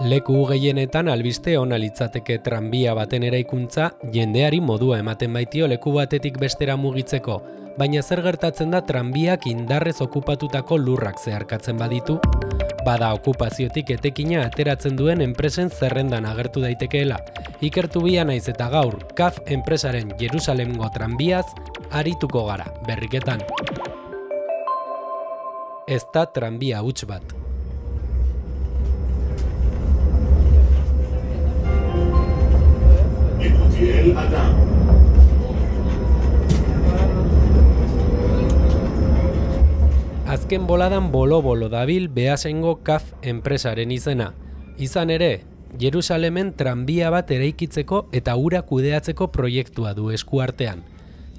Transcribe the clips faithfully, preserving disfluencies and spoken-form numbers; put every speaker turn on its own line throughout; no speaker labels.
Leku gehienetan albiste ona litzateke tranbia baten eraikuntza jendeari modua ematen baitio leku batetik bestera mugitzeko, baina zer gertatzen da tranbiak indarrez okupatutako lurrak zeharkatzen baditu? Bada okupaziotik etekina ateratzen duen enpresen zerrendan agertu daitekeela. Ikertu bia naiz eta gaur, C A F enpresaren Jerusalemgo tranbiaz arituko gara, berriketan. Ez da tranbia huts bat. Azken boladan bolo-bolo dabil Beasaingo C A F enpresaren izena. Izan ere, Jerusalemen tranbia bat eraikitzeko eta ura kudeatzeko proiektua du eskuartean.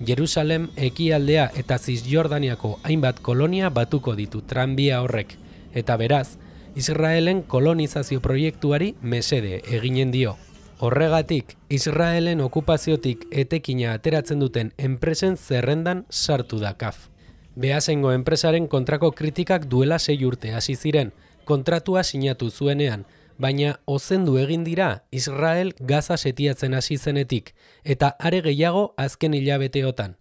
Jerusalem ekialdea eta Zisjordaniako hainbat kolonia batuko ditu tranbia horrek, eta beraz, Israelen kolonizazio proiektuari mesede eginen dio. Horregatik, Israelen okupaziotik etekina ateratzen duten enpresen zerrendan sartu da C A F. Beasaingo enpresaren kontrako kritikak duela sei urte hasi ziren, kontratua sinatu zuenean, baina ozendu egin dira Israel Gaza setiatzen hasi zenetik, eta are gehiago azken hilabeteotan.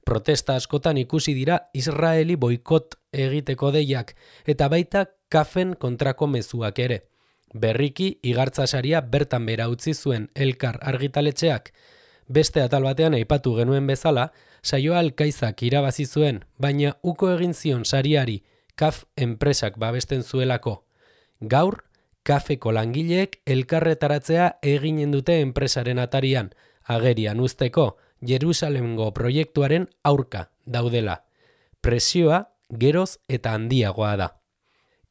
Protesta askotan ikusi dira Israeli boikot egiteko deiak, eta baita C A F-en kontrako mezuak ere. Berriki, igartzasaria bertan bera utzi zuen Elkar argitaletxeak. Beste atal batean aipatu genuen bezala, saioa Alkaizak irabazi zuen, baina uko egin zion sariari C A F enpresak babesten zuelako. Gaur, C A F-eko langileek elkarretaratzea eginen dute enpresaren atarian, agerian uzteko Jerusalemgo proiektuaren aurka daudela. Presioa geroz eta handiagoa da.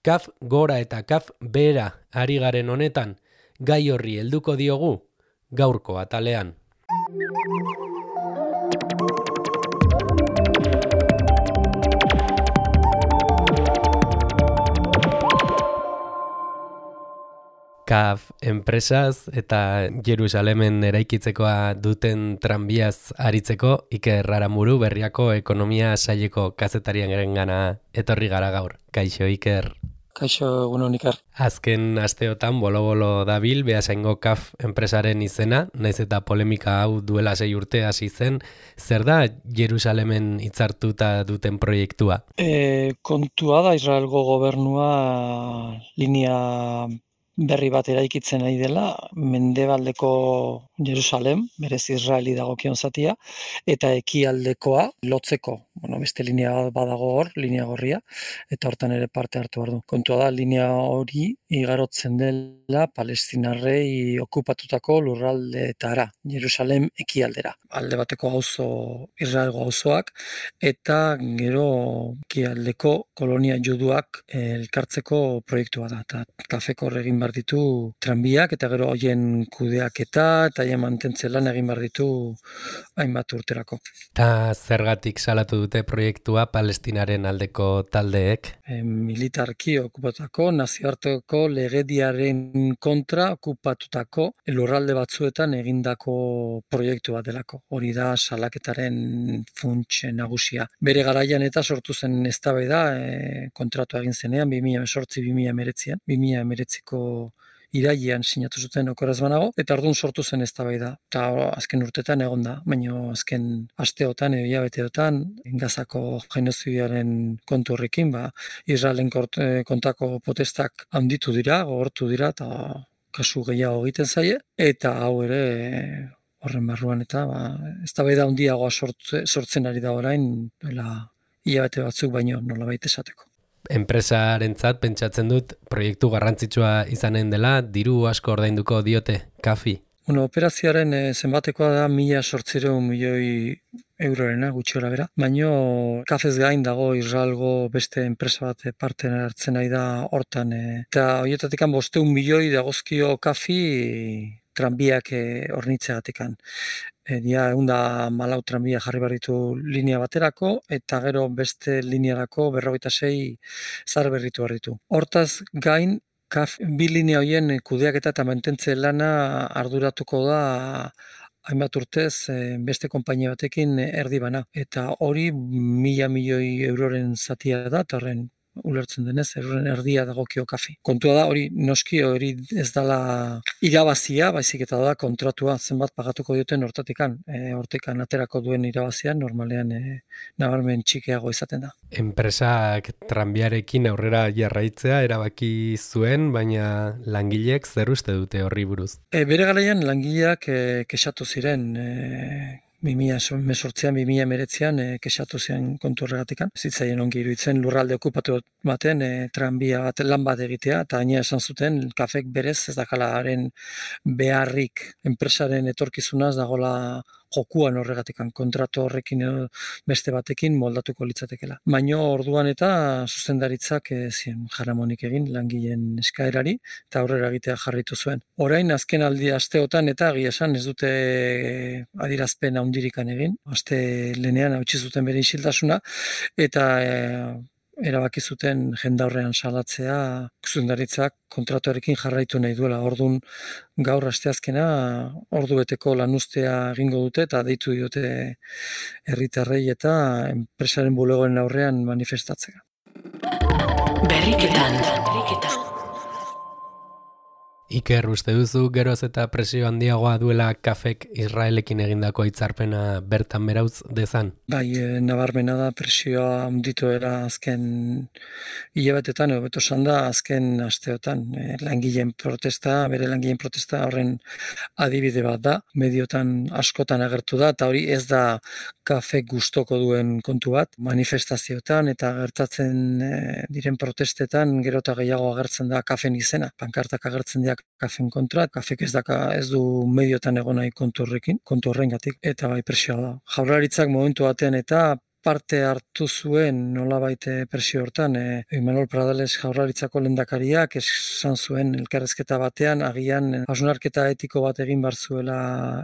C A F gora eta C A F behera ari garen honetan, gai horri helduko diogu gaurko atalean. C A F enpresaz eta Jerusalemen eraikitzekoa duten tranbiaz aritzeko Iker Aramuru Berriako ekonomia saileko kazetarian gerengana etorri gara gaur. Kaixo Iker.
Kaixo egunon Iker.
Azken asteotan bolo-bolo dabil Beasaingo C A F enpresaren izena, naiz eta polemika hau duela sei urte hasi zen, zer da Jerusalemen hitzartuta duten proiektua?
E, kontua da Israelgo gobernua linea berri bat eraikitzen nahi dela, mendebaldeko Jerusalem, berez Israeli dagokion zatia, eta ekialdekoa lotzeko. Bueno, beste linea badago hor, linea gorria, eta hortan ere parte hartu behar du. Kontua da, linea hori igarotzen dela palestinarrei okupatutako lurraldeetara, Jerusalem ekialdera. Alde bateko auzo Israelgo auzoak, eta gero ekialdeko kolonia juduak elkartzeko proiektua da. Eta C A F-eko egin behar ditu tranbiak, eta gero hoien kudeaketa, eta haien mantentze lan egin behar ditu hainbat urterako.
Eta zergatik salatu dute proiektua Palestinaren aldeko taldeek?
E, militarki okupatutako, nazioarteko legediaren kontra okupatutako lurralde batzuetan egindako proiektu bat delako. Hori da salaketaren funts nagusia. Bere garaian eta sortu zen eztabaida e, kontratu egin zenean, bi mila hemezortzi bi mila hemeretzian, bi mila hemeretziko irailean sinatu zuten okoraz banago, eta orduan sortu zen eztabaida. Eta azken urtetan egon da, baina azken asteotan edo hilabeteotan Gazako genozidiaren kontu horrekin, ba, Israelen kontako protestak handitu dira, gogortu dira, eta kasu gehiago egiten zaie, eta hau ere horren barruan eta ba, eztabaida handiagoa sortze, sortzen ari da orain, dela hilabete batzuk baino nolabait esateko.
Enpresarentzat pentsatzen dut proiektu garrantzitsua izanen dela, diru asko ordainduko diote C A F-i.
Bueno, operazioaren e, zenbatekoa da mila zortziehun milioi eurorena, gutxi gora bera. Baina C A F-ez gain dago Israelgo beste enpresa bat parte hartzen nahi da hortan. E, eta horietatik bosteun milioi dagozkio C A F-i tranbiak hornitzeagatik. E, dia egun da malau tranbia jarri behar ditu linea baterako, eta gero beste linearako berrogeita sei zar berritu behar ditu. Hortaz gain, C A F bi linea horien kudeaketa eta mantentze lana arduratuko da hainbat urtez beste konpainia batekin erdi bana. Eta hori mila milioi euroren zatia da, eta horren ulertzen denez, erren erdia dagokio kafi. Kontua da, hori noski hori ez dala irabazia, baizik eta da kontratua zenbat pagatuko duten hortatikan. E, hortikan aterako duen irabazia normalean e, nabarmen txikiago izaten da.
Enpresak tranbiarekin aurrera jarraitzea erabaki zuen, baina langileek zer uste dute horri buruz?
E, bere garaian langileak e, kexatu ziren, e, bi mila hemezortzian, bi mila hemeretzian e, kexatu ziren kontu horregatikan. Zitzaien ongi iruditzen lurralde okupatu baten e, tranbia bat lan bat egitea, eta gainera esan zuten kafek berez ez dakalaren beharrik enpresaren etorkizunaz dagola jokuan horregatikan, kontratu horrekin edo beste batekin moldatuko litzatekela. Baino orduan eta zuzendaritzak e, zien jaramonik egin langileen eskaerari eta aurrera egitea jarritu zuen. Orain azken aldi asteotan eta egia esan ez dute adierazpen handirikan egin, aste lenean hautsi zuten bere isiltasuna eta e, erabaki zuten jendaurrean salatzea zuzendaritzak kontratuarekin jarraitu nahi duela. Ordun gaur asteazkena ordu beteko lanuztea egingo dute eta deitu diote herritarrei eta enpresaren bulegoen aurrean manifestatzea.
Berriketan, berriketan. Iker, uste duzu geroz eta presio handiagoa duela kafek Israelekin egindako hitzarpena bertan berauz dezan?
Bai, e, nabarmena da presioa handituera azken hilabetetan, edo beto esan da azken asteotan. E, langileen protesta, bere langileen protesta horren adibide bat da, mediotan askotan agertu da, eta hori ez da kafek gustoko duen kontu bat, manifestazioetan eta gertatzen e, diren protestetan gero eta gehiago agertzen da kafen izena, pankartak agertzen dira kafen kontra, kafek ez daka ez du mediotan egon nahi kontu horrekin, kontu horrengatik, eta bai presioa da. Jaurlaritzak momentu batean eta parte hartu zuen nolabait presio hortan, e, Imanol Pradales Jaurlaritzako lehendakariak esan zuen elkarrezketa batean agian hausnarketa etiko bat egin bar zuela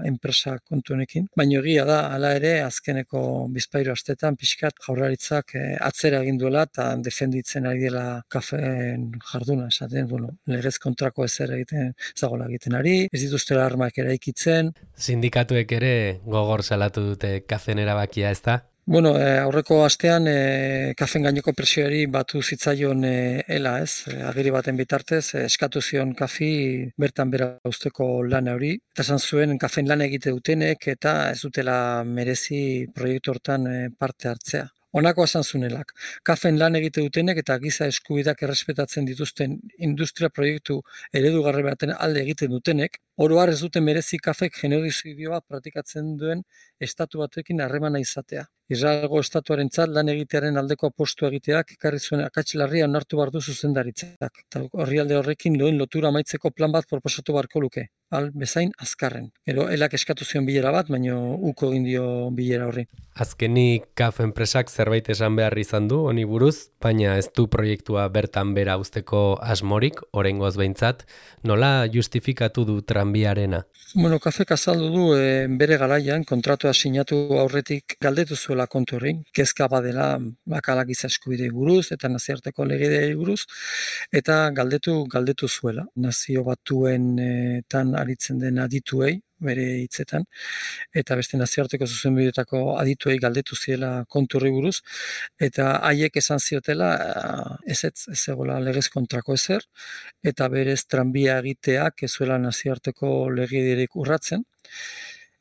enpresa kontu honekin, baina egia da hala ere azkeneko bizpahiru astetan pixkat Jaurlaritzak e, atzera egin duela eta defenditzen ari dela kafeen jarduna, esaten, bueno, legez kontrako ezer egiten zagola egiten ari, ez dituztela armak eraikitzen.
Sindikatuek ere gogor salatu dute kafen erabakia, ez da?
Bueno, e, aurreko astean e, kafen gaineko presioari batu zitzaion e, ela, ez? E, agiri baten bitartez, e, eskatu zion kafi bertan bera usteko lan hori. Eta esan zuen kafen lan egite dutenek eta ez dutela merezi proiektu hortan e, parte hartzea. Honako esan zunelak, kafen lan egite dutenek eta giza eskubideak errespetatzen dituzten industria proiektu eredugarri baten alde egiten dutenek, oro har ez duten merezi kafek genozidioa praktikatzen duen estatu batekin harremana izatea. Israelgo estatuarentzat lan egitearen aldeko apostu egiteak ekarri zuen akats larria onartu behar du zuzendaritzak. Eta orrialde horrekin loen lotura amaitzeko plan bat proposatu beharko luke. Al bezain azkarren. Gero elak eskatu zion bilera bat, baino uko egin dio bilera horri.
Azkenik kaf enpresak zerbait esan behar izan du honi buruz, baina ez du proiektua bertan bera usteko asmorik, oraingoz behintzat, nola justifikatu du tranbiarena?
Bueno, kafek azaldu du e, bere garaian kontratua sinatu aurretik galdetu zuela kontu hori, kezka badela bakalak giza eskubidei buruz eta nazioarteko legedei buruz, eta galdetu galdetu zuela. Nazio batuen e, tan aritzen den adituei, bere hitzetan, eta beste nazioarteko zuzenbideetako adituei galdetu ziela kontu horri buruz, eta haiek esan ziotela ez ez ez egola legez kontrako ezer, eta berez tranbia egiteak ez zuela nazioarteko legedirik urratzen,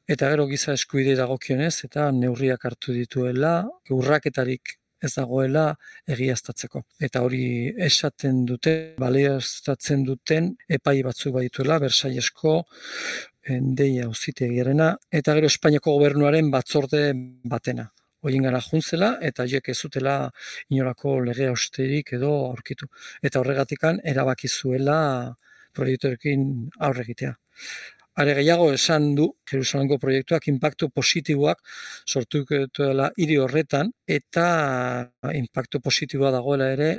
eta gero giza eskubidei dagokionez, eta neurriak hartu dituela, urraketarik ez dagoela egiaztatzeko. Eta hori esaten dute, balioztatzen duten epai batzuk badituela, Bersailesko deia auzitegiarena, eta gero Espainiako gobernuaren batzorde batena. Horien gara juntzela, eta horiek ez zutela inolako lege austerik edo aurkitu. Eta horregatikan erabaki zuela proiektuekin aurre egitea. Are gehiago esan du, Jerusalemko proiektuak inpaktu positiboak sortuko dela hiri horretan, eta inpaktu positiboa dagoela ere,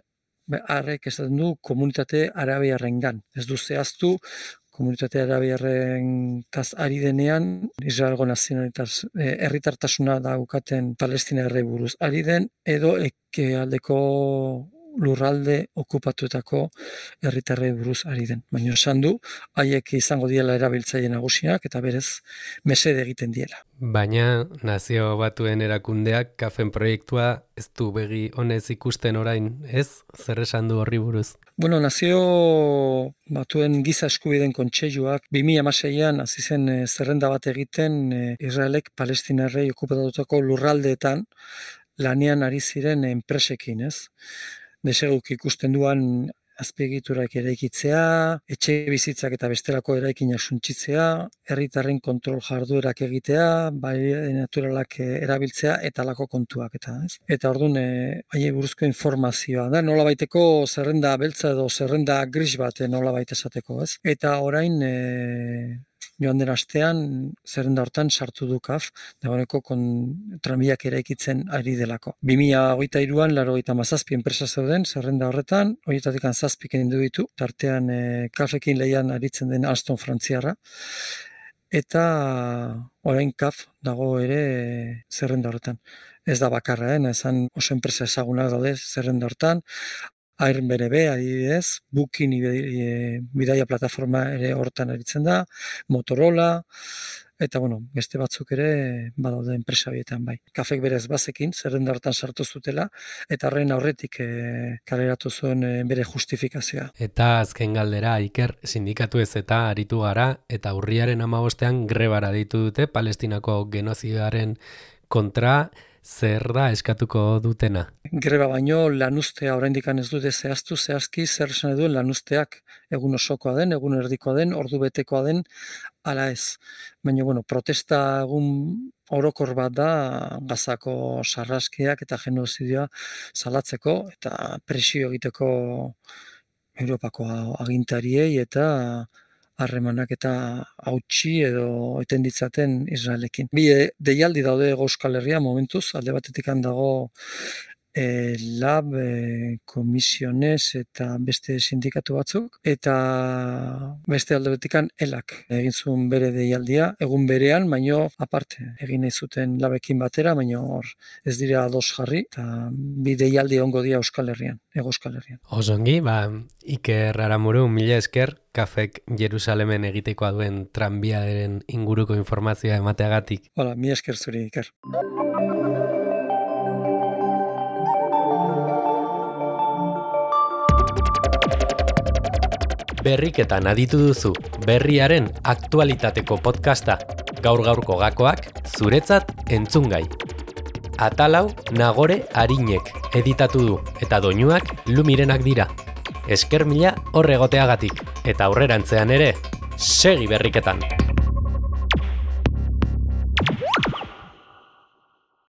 harrek esaten du komunitate arabiarrengan. Ez du zehaztu, komunitate arabiarren taz ari denean, Israelgo nazionalitas herritartasuna daukaten Palestina erre buruz ari den, edo eke aldeko lurralde okupatuetako herritarrei buruz ari den. Baina esan du, haiek izango diela erabiltzaile nagusiak eta berez mesede egiten diela.
Baina Nazio Batuen erakundeak kafen proiektua ez du begi honez ikusten orain, ez? Zer esan du horri buruz?
Bueno, Nazio Batuen Giza Eskubideen Kontseiluak bi mila hamaseian hasi zen e, zerrenda bat egiten e, Israelek Palestinarrei okupatutako lurraldeetan lanean ari ziren enpresekin, ez? Deseguk ikusten duan azpiegiturak eraikitzea, etxe bizitzak eta bestelako eraikinak suntsitzea, herritarren kontrol jarduerak egitea, bai naturalak erabiltzea eta halako kontuak eta, ez? Eta orduan eh haiei buruzko informazioa da, nolabaiteko zerrenda beltza edo zerrenda gris bat nolabait esateko, ez? Eta orain eh joan den astean zerrenda hortan sartu du kaf, dagoeneko kon tranbiak eraikitzen ari delako. bi mila hogeita hiruan laurogeita hamazazpi enpresa zeuden zerrenda horretan, horietatik zazpi kendu ditu, tartean e, kafekin lehian aritzen den Alstom frantziarra, eta orain kaf dago ere e, zerrenda horretan. Ez da bakarra, eh? Esan oso enpresa ezagunak daude zerrenda horretan, Airbnb adibidez, Booking e, bidaia plataforma ere hortan aritzen da, Motorola, eta bueno, beste batzuk ere badaude enpresa bietan bai. Kafek berez bazekin, zerrenda hortan sartu zutela, eta horren aurretik e, kaleratu zuen e, bere justifikazioa.
Eta azken galdera, Iker, sindikatu ez eta aritu gara, eta urriaren hamabostean grebara deitu dute Palestinako genozidioaren kontra. Zer da eskatuko dutena?
Greba baino lanuztea oraindik ez dute zehaztu zehazki zer esan duen lanuzteak, egun osokoa den, egun erdikoa den, ordu betekoa den, ala ez. Baina bueno, protesta egun orokor bat da Gazako sarraskiak eta genozidioa salatzeko eta presio egiteko Europako agintariei eta harremanak eta hautsi edo eten ditzaten Israelekin. Bi deialdi daude Hego Euskal Herria momentuz, alde batetik dago e, lab, e, komisiones eta beste sindikatu batzuk, eta beste alde batetik elak egin zuen bere deialdia, egun berean, baino aparte, egin nahi zuten labekin batera, baino hor ez dira ados jarri, eta bi deialdi ongo dira Euskal Herrian, Hego Euskal Herrian.
Osongi, ba, Iker Aramuru, mila esker, Kafek Jerusalemen egitekoa duen tranbiaren inguruko informazioa emateagatik.
Hola, mila esker zuri, Iker.
Berriketan aditu duzu, berriaren aktualitateko podcasta, gaur-gaurko gakoak, zuretzat entzungai. Atalau Nagore Arinek editatu du, eta doinuak Lumirenak dira. Esker mila horregoteagatik, eta aurrerantzean ere, segi berriketan!